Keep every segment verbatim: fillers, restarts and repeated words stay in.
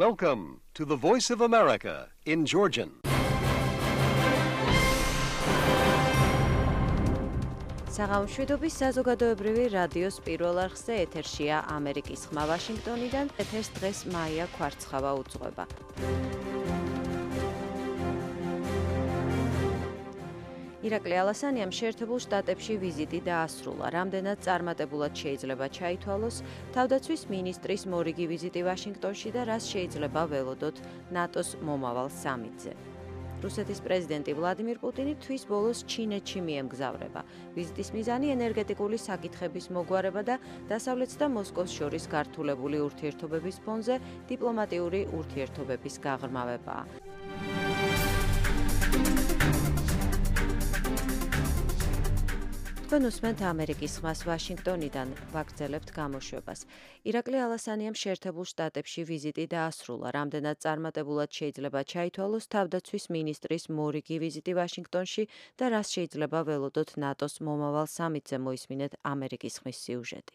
Welcome to the Voice of America in Georgian. საღამოშვიდობის საზოგადოებრივი რადიოს პირველ არხზე ეთერშია ამერიკის ხმა ვაშინგტონიდან. ეთერს დღეს მაია ქვარცხავა უძღვება. ირაკლი ალასანიამ შეერთებულ შტატებში ვიზიტი დაასრულა. რამდენად წარმატებულად შეიძლება ჩაითვალოს თავდაცვის მინისტრის მორიგი ვიზიტი ვაშინგტონში და რას შეიძლება ველოდოთ ნატოს მომავალ სამიტზე. რუსეთის პრეზიდენტი ვლადიმირ პუტინი თვის ბოლოს ჩინეთში მიემგზავრება. ვიზიტის მიზანი ენერგეტიკული საკითხების მოგვარება და დასავლეთს და მოსკოვს შორის გართულებული ურთიერთობების ფონზე დიპლომატიური ურთიერთობების გაღრმავებაა. თქვენ უსმენთ ამერიკის ხმას ვაშინგტონიდან, ვაგრძელებთ გამოშვებას. ირაკლი ალასანიამ შეერთებულ შტატებში ვიზიტი დაასრულა. რამდენად წარმატებულად შეიძლება ჩაითვალოს თავდაცვის მინისტრის მორიგი ვიზიტი ვაშინგტონში და რას შეიძლება ველოდოთ ნატოს მომავალ სამიტზე, მოისმინეთ ამერიკის ხმის სიუჟეტი.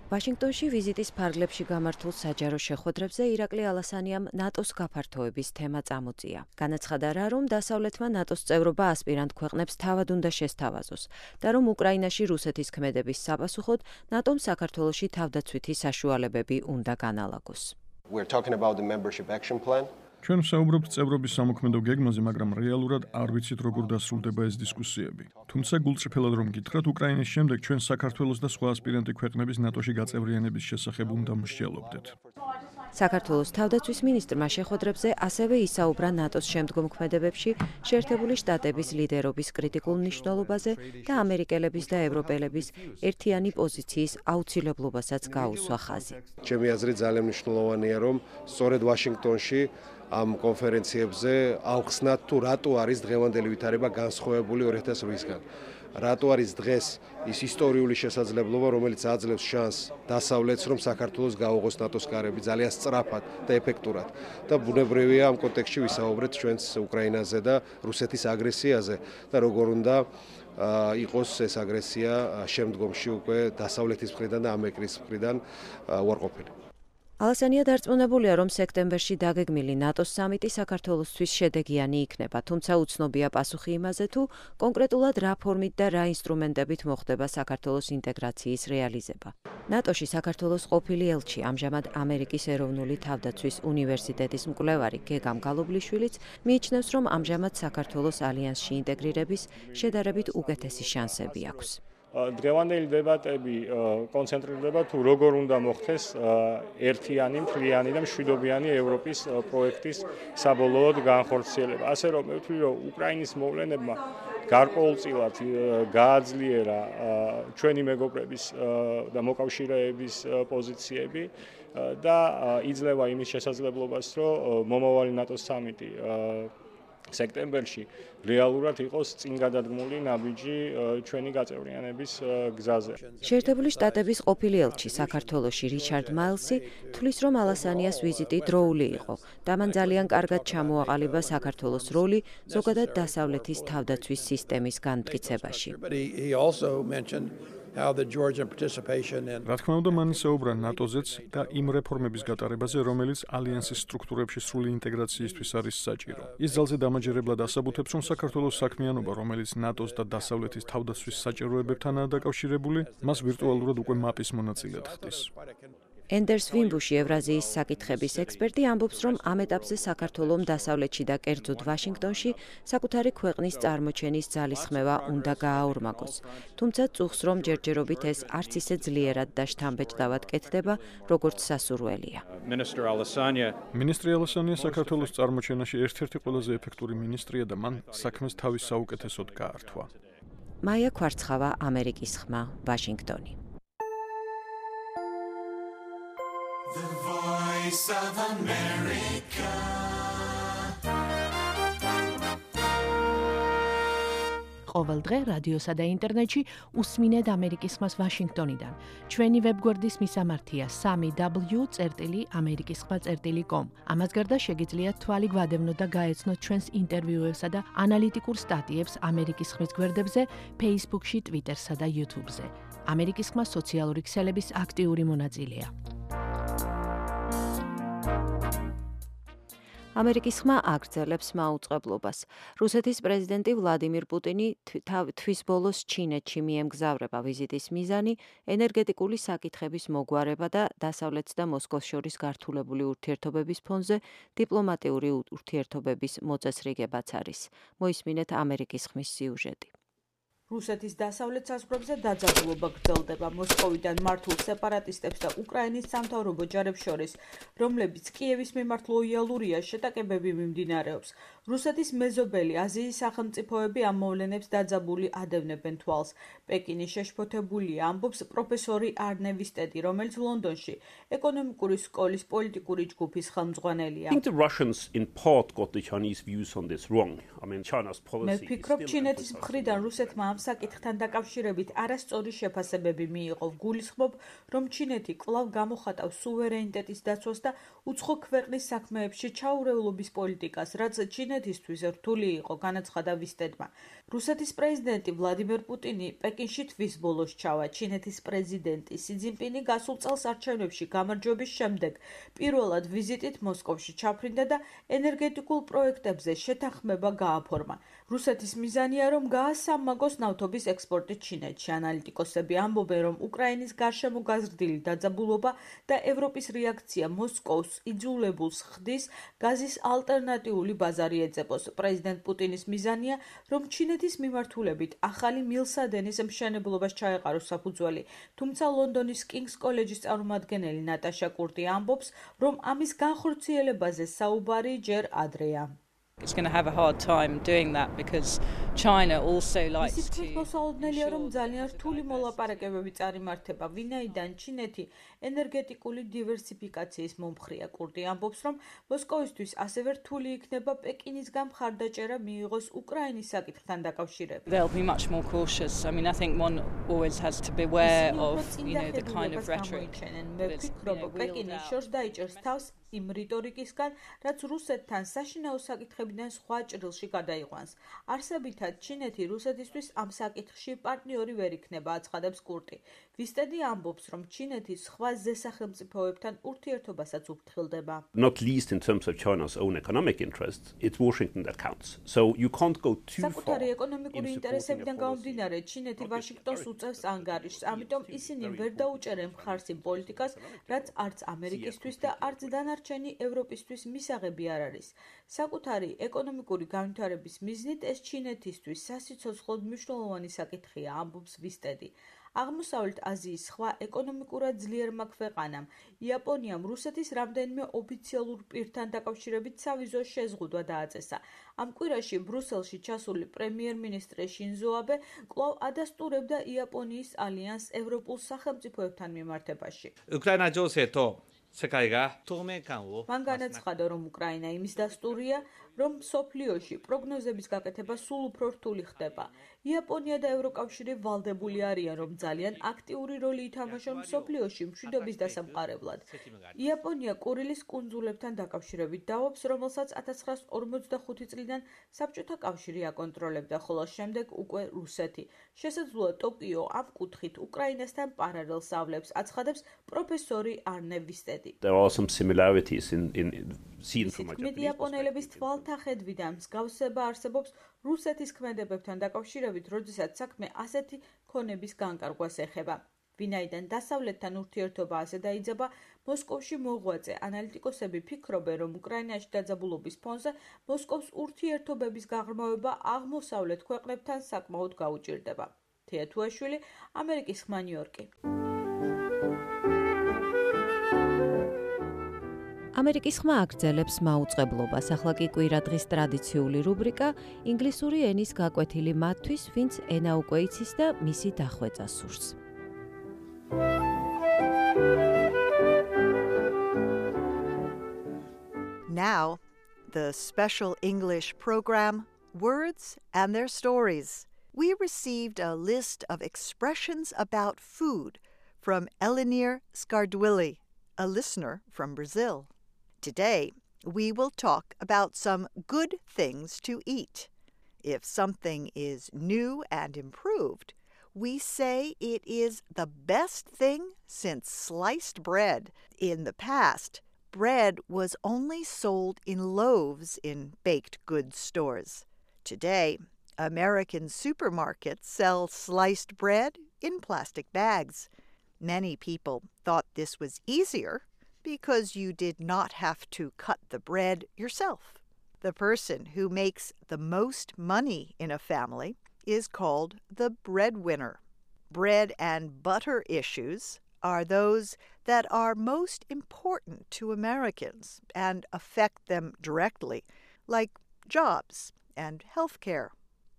ვაშინგტონში ვიზიტის ფარგლებში გამართულ საჯარო შეხვედრებზე ირაკლი ალასანიამ ნატოს გაფართოების თემა წამოწია. განაცხადა რა, რომ დასავლეთმა ნატოს წევრობა ასპირანტ ქვეყნებს თავად უნდა შესთავაზოს და რომ უკრაინაში რუსეთის ქმედების საპასუხოდ ნატომ საქართველოში თავდაცვითი საშუალებები უნდა განალაგოს. We're talking about the membership action plan. ჩვენ ვსაუბრობთ წევრობის სამოქმედო გეგმაზე, მაგრამ რეალურად არ ვიცით როგორ დასრულდება ეს დისკუსიები. თუმცა გულწრფელად რომ გითხრათ, უკრაინის შემდეგ ჩვენ საქართველოს და სხვა ასპირანტი ქვეყნების ნატოში გაწევრიანების შესახებ უნდა მსჯელობდეთ. საქართველოს თავდაცვის მინისტრმა შეხვედრებზე ასევე ისაუბრა ნატოს შემდგომ ქმედებებში შეერთებული შტატების ლიდერობის კრიტიკულ მნიშვნელობაზე და ამერიკელების და ევროპელების ერთიანი პოზიციის აუცილებლობასაც გაუსვა ხაზი. ჩემი აზრით ძალიან მნიშვნელოვანია, რომ სწორედ ვაშინგტონში ამ კონფერენციებზე ავხსნათ თუ რატო არის დღევანდელი ვითარება განსხვავებული ორი ათას ოთხისგან. რატო არის დღეს ის ისტორიული შესაძლებლობა, რომელიც აძლევს შანსს დასავლეთს, რომ საქართველოს გაუღოს ნატოს კარები ძალიან სწრაფად და ეფექტურად. და ბუნებრივია ამ კონტექსტში ვისაუბრეთ ჩვენს უკრაინაზე და რუსეთის აგრესიაზე და როგორ უნდა იყოს ეს აგრესია შემდგომში უკვე დასავლეთის მხრიდან და ამერიკის მხრიდან უარყოფილი. ალასანია დარწმუნებულია, რომ სექტემბერში დაგეგმილი ნატოს სამიტი საქართველოსთვის შედეგიანი იქნება, თუმცა უცნობია პასუხი იმაზე, თუ კონკრეტულად რა ფორმით და რა ინსტრუმენტებით მოხდება საქართველოს ინტეგრაციის რეალიზება. ნატოში საქართველოს ყოფილი ელჩი, ამჟამად ამერიკის ეროვნული თავდაცვის უნივერსიტეტის მკვლევარი გეგამ გალობლიშვილიც მიიჩნევს, რომ ამჟამად საქართველოს ალიანსში ინტეგრირების შედარებით უკეთესი შანსები აქვს. დღევანდელი დებატები კონცენტრირდება თუ როგორ უნდა მოხდეს ერთიანი, მთლიანი და მშვიდობიანი ევროპის პროექტის საბოლოოდ განხორციელება. ასე რომ მე ვთვლი, რომ უკრაინის მოვლენებმა გარკვეულწილად გააძლიერა ჩვენი მეგობრების და მოკავშირეების პოზიციები და იძლევა იმის შესაძლებლობას, რომ მომავალი ნატოს სამიტი სექტემბერში რეალურად იყოს წინ გადადგმული ნაბიჯი ჩვენი გაწევრიანების გზაზე. შეერთებული შტატების ყოფილი ელჩი საქართველოში რიჩარდ მაილსი თვლის, რომ ალასანიას ვიზიტი დროული იყო და მან ძალიან კარგად ჩამოაყალიბა საქართველოს როლი ზოგადად დასავლეთის თავდაცვის სისტემის განმტკიცებაში. რა თქმა უნდა, მან ისაუბრა ნატოზეც და იმ რეფორმების გატარებაზე, რომელიც ალიანსის სტრუქტურებში სრული ინტეგრაციისთვის არის საჭირო. ის ძალზე დამაჯერებლად ასაბუთებს, რომ საქართველოს საქმიანობა, რომელიც ნატოს და დასავლეთის თავდაცვის საჭიროებებთანაა დაკავშირებული, მას ვირტუალურად უკვე მაპის მონაწილედ ხდის. ენდერს ვიმბუში, ევრაზიის საკითხების ექსპერტი, ამბობს, რომ ამ ეტაპზე საქართველომ დასავლეთში და კერძოდ ვაშინგტონში საკუთარი ქვეყნის წარმოჩენის ძალისხმევა უნდა გააორმაგოს. თუმცა წუხს, რომ ჯერჯერობით ეს არც ისე ძლიერად და შთამბეჭდავად კეთდება, როგორც სასურველია. მინისტრი ალასანია საქართველოს წარმოჩენაში ერთ-ერთი ყველაზე ეფექტური მინისტრია და მან საქმეს თავის საუკეთესოდ გაართვა. მაია ქვარცხავა, ამერიკის ხმა, ვაშინგტონი. The Voice of America. ყოველ დღე რადიოსა და ინტერნეტში უსმინეთ ამერიკის ხმას ვაშინგტონიდან. ჩვენი ვებგვერდის მისამართია სამი დაბლიუ წერტილი ამერიკის ხმა წერტილი კომ. ამას გარდა შეგიძლიათ თვალი გვადევნოთ და გაეცნოთ ჩვენს ინტერვიუებსა და ანალიტიკურ სტატიებს ამერიკის ხმის გვერდებზე, Facebook-ში, Twitter-სა და YouTube-ზე. ამერიკის ხმა სოციალური ქსელების აქტიური მონაწილეა. ამერიკის ხმა აგრძელებს მაუწყებლობას. რუსეთის პრეზიდენტი ვლადიმირ პუტინი თვის ბოლოს ჩინეთში მიემგზავრება. ვიზიტის მიზანი ენერგეტიკული საკითხების მოგვარება და დასავლეთს და მოსკოვს შორის გართულებული ურთიერთობების ფონზე დიპლომატიური ურთიერთობების მოწესრიგებაც არის. მოისმინეთ ამერიკის ხმის სიუჟეტი. რუსეთის დასავლეთ საზღვრებზე დაძაბულობა გრძელდება მოსკოვიდან მართულ სეპარატისტებს და უკრაინის სამთავრობო ჯარებს შორის, რომლებიც კიევის მიმართ ლოიალურია, შეტაკებები მიმდინარეობს. რუსეთის მეზობელი აზიის სახელმწიფოები ამ მოვლენებს დაძაბული ადევნებენ თვალს. პეკინი შეშფოთებულია, ამბობს პროფესორი არნე ვისტედი, რომელიც ლონდონში ეკონომიკური სკოლის პოლიტიკური ჯგუფის ხელმძღვანელია. მე ვფიქრობ, ჩინეთის მხრიდან რუსეთმა ამ საკითხთან დაკავშირებით არასწორი შეფასებები მიიღო. ვგულისხმობ, რომ ჩინეთი კვლავ გამოხატავს სუვერენიტეტის დაცვას და უცხო ქვეყნის საქმეებში ჩაურევლობის პოლიტიკას, რაც ჩინეთისთვის რთული იყო, განაცხადა ვისტედმა. რუსეთის პრეზიდენტი ვლადიმერ პუტინი პეკინში თვის ბოლოს ჩავა. ჩინეთის პრეზიდენტი სი ძინპინი გასულ წელს არჩევნებში გამარჯვების შემდეგ პირველად ვიზიტით მოსკოვში ჩაფრინდა და ენერგეტიკულ პროექტებზე შეთანხმება გააფორმა. რუსეთის მიზანია, რომ გაასამაგოს ნავთობის ექსპორტი ჩინეთში. ანალიტიკოსები ამბობენ, რომ უკრაინის გარშემო გაზრდილი დაძაბულობა და ევროპის რეაქცია მოსკოვს იძულებულს ხდის გაზის ალტერნატიული ბაზარი ეძებოს. პრეზიდენტ პუტინის მიზანია, რომ ჩინეთის მიმართულებით ახალი მილსადენის მშენებლობას ჩაეყაროს საფუძველი. თუმცა ლონდონის კინგს კოლეჯის წარმომადგენელი ნატაშა კურტი ამბობს, რომ ამის განხორციელებაზე საუბარი ჯერ ადრეა. It's going to have a hard time doing that because China also likes to. ის მოსალოდნელია, რომ ძალიან რთული kind მოლაპარაკებები წარიმართება, ვინაიდან ჩინეთი ენერგეტიკული დივერსიფიკაციის მომხრეა. კურტი ამბობს, რომ მოსკოვისთვის ასევე რთული იქნება პეკინისგან მხარდაჭერა მიიღოს უკრაინის საკითხთან დაკავშირებით. They'll be much more cautious. I mean, I think one always has to be aware of, you know, the kind of rhetoric. მე ვფიქრობ, პეკინი შორს დაიჭერს თავს იმ რიტორიკისგან, რაც რუსეთთან საშინაო საკითხებიდან სხვა ჭრილში გადაიყვანს. არსებითად, ჩინეთი რუსეთისთვის ამ საკითხში პარტნიორი ვერ იქნება, აცხადებს კურტი. ვისტედი ამბობს, რომ ჩინეთი სხვა ზესახელმწიფოებთან ურთიერთობასაც უფრთხილდება. Not least in terms of China's own economic interests, it's Washington that counts. So you can't go too far. საკუთარი ეკონომიკური ინტერესებიდან გამომდინარე, ჩინეთი ვაშინგტონს უწევს ანგარიშს, ამიტომ ისინი ვერ დაუჭერენ მხარს იმ პოლიტიკას, რაც არც ამერიკისთვის და არც დანარჩენი ევროპისთვის მისაღები არ არის. საკუთარი ეკონომიკური განვითარების მიზნით ეს ჩინეთისთვის სასიცოცხლოდ მნიშვნელოვანი საკითხია, ამბობს ვისტედი. აღმოსავლეთ აზიის სხვა ეკონომიკურად ძლიერმა ქვეყანამ, იაპონიამ რუსეთის რამდენიმე ოფიციალურ პირთან დაკავშირებით სავიზო შეზღუდვა დააწესა. ამ კვირაში ბრუსელში ჩასული პრემიერ-მინისტრი შინზო აბე კვლავ ადასტურებდა იაპონიის ალიანსს ევროპულ სახელმწიფოებთან მიმართებაში. უკრაინა ჯოსეთო სეკაიგა თუმეკანო მან განაცხადა, რომ უკრაინა იმის დასტურია, რომ სოფლიოში პროგნოზების გაკეთება სულ უფრო რთული ხდება. იაპონია და ევროკავშირი ვალდებული არიან, რომ ძალიან აქტიური როლი ითამაშონ სოფლიოში მშვიდობის დასამყარებლად. იაპონია კურილის კუნძულებთან დაკავშირებით დაობს, რომელსაც ათას ცხრაასი ორმოცდახუთი წლიდან საბჭოთა კავშირი აკონტროლებდა, ხოლო შემდეგ უკვე რუსეთი. შესაძლოა ტოკიო ამ კუთხით უკრაინასთან პარალელს ავლებს, აცხადებს პროფესორი არნე ვისტედი. There are some similarities in in seen from my Japanese იაპონელების თვალთახედვიდან მსგავსება არსებობს რუსეთის ქმედებებთან დაკავშირებით, როდესაც საქმე ასეთი ქონების განკარგვას ეხება. ვინაიდან დასავლეთთან ურთიერთობა ასე დაიძაბა, მოსკოვში მოღვაწე ანალიტიკოსები ფიქრობენ, რომ უკრაინაში დაძაბულობის ფონზე მოსკოვს ურთიერთობების გაღრმავება აღმოსავლეთ ქვეყნებთან საკმაოდ გაუჭირდება. თეა თუაშვილი, ამერიკის ხმა ნიუ-იორკი. ამერიკის ხმა აგრძელებს მაუწყებლობას. ახლა კი კვირადღის ტრადიციული რუბრიკა ინგლისური ენის გაკვეთილი მათთვის, ვინც ენა უკვე იცის და მისი დახვეწა სურს. Now, the special English program, Words and Their Stories. We received a list of expressions about food from Elinir Skardwili, a listener from Brazil. Today, we will talk about some good things to eat. If something is new and improved, we say it is the best thing since sliced bread. In the past, bread was only sold in loaves in baked goods stores. Today, American supermarkets sell sliced bread in plastic bags. Many people thought this was easier because you did not have to cut the bread yourself. The person who makes the most money in a family is called the breadwinner. Bread and butter issues are those that are most important to Americans and affect them directly, like jobs and health care.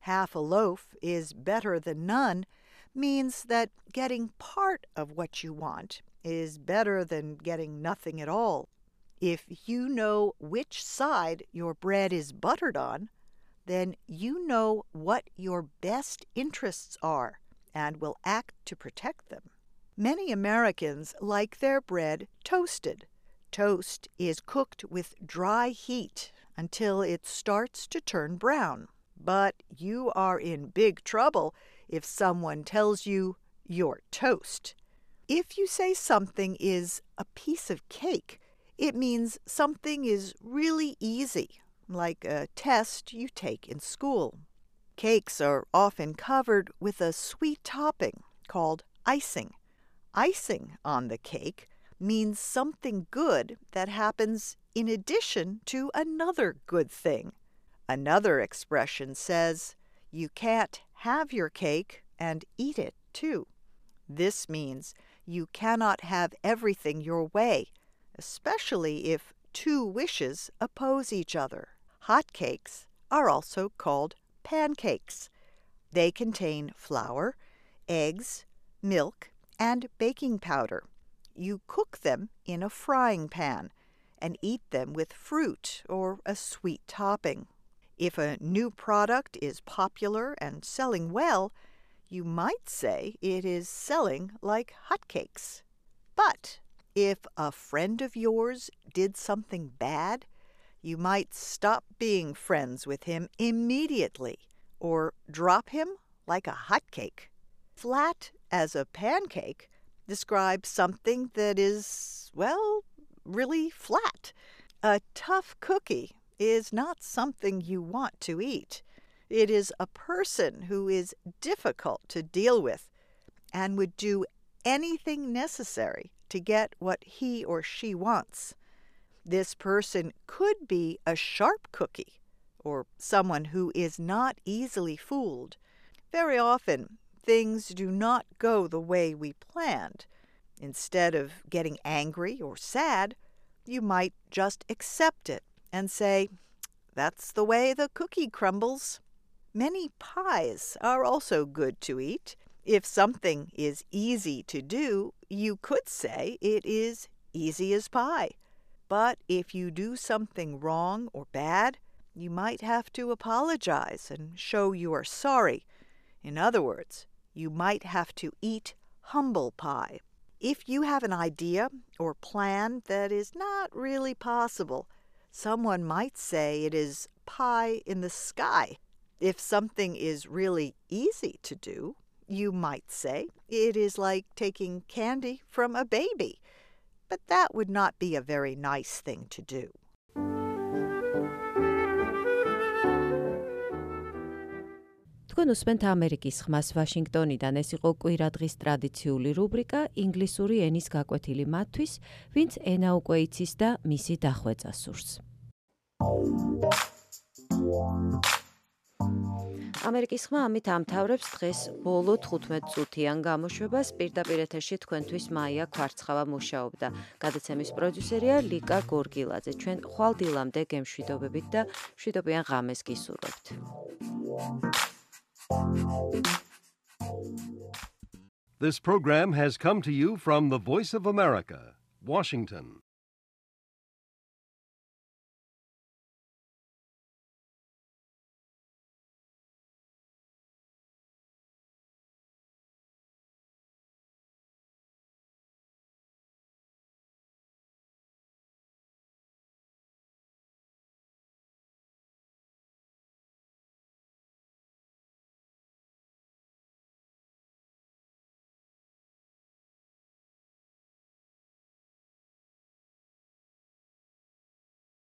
Half a loaf is better than none means that getting part of what you want is better than getting nothing at all. If you know which side your bread is buttered on, then you know what your best interests are and will act to protect them. Many Americans like their bread toasted. Toast is cooked with dry heat until it starts to turn brown. But you are in big trouble if someone tells you you're toast. If you say something is a piece of cake, it means something is really easy, like a test you take in school. Cakes are often covered with a sweet topping called icing. Icing on the cake means something good that happens in addition to another good thing. Another expression says, you can't have your cake and eat it too. This means you cannot have everything your way, especially if two wishes oppose each other. Hot cakes are also called pancakes. They contain flour, eggs, milk, and baking powder. You cook them in a frying pan and eat them with fruit or a sweet topping. If a new product is popular and selling well, you might say it is selling like hotcakes. But if a friend of yours did something bad, you might stop being friends with him immediately or drop him like a hotcake. Flat as a pancake describes something that is, well, really flat. A tough cookie is not something you want to eat. It is a person who is difficult to deal with and would do anything necessary to get what he or she wants. This person could be a sharp cookie or someone who is not easily fooled. Very often, things do not go the way we planned. Instead of getting angry or sad, you might just accept it and say, that's the way the cookie crumbles. Many pies are also good to eat. If something is easy to do, you could say it is easy as pie. But if you do something wrong or bad, you might have to apologize and show you are sorry. In other words, you might have to eat humble pie. If you have an idea or plan that is not really possible, someone might say it is pie in the sky. If something is really easy to do, you might say it is like taking candy from a baby. But that would not be a very nice thing to do. თქვენ უსმენთ ამერიკის ხმას ვაშინგტონიდან. ეს იყო კვირადღის ტრადიციული რუბრიკა ინგლისური ენის გაკვეთილი მათთვის, ვინც ენა უკვე იცის და მისი დახვეწა სურს. ამერიკის ხმა ამით ამთავრებს დღეს ბოლო თხუთმეტ წუთიან გამოშვებას. პირდაპირ ეთერში თქვენთვის მაია ქვარცხავა მუშაობდა. გადაცემის პროდიუსერია ლიკა გორგილაძე. ჩვენ ხვალ დილამდე გემშვიდობებით და მშვიდობიან ღამეს გისურვებთ. This program has come to you from the Voice of America, Washington.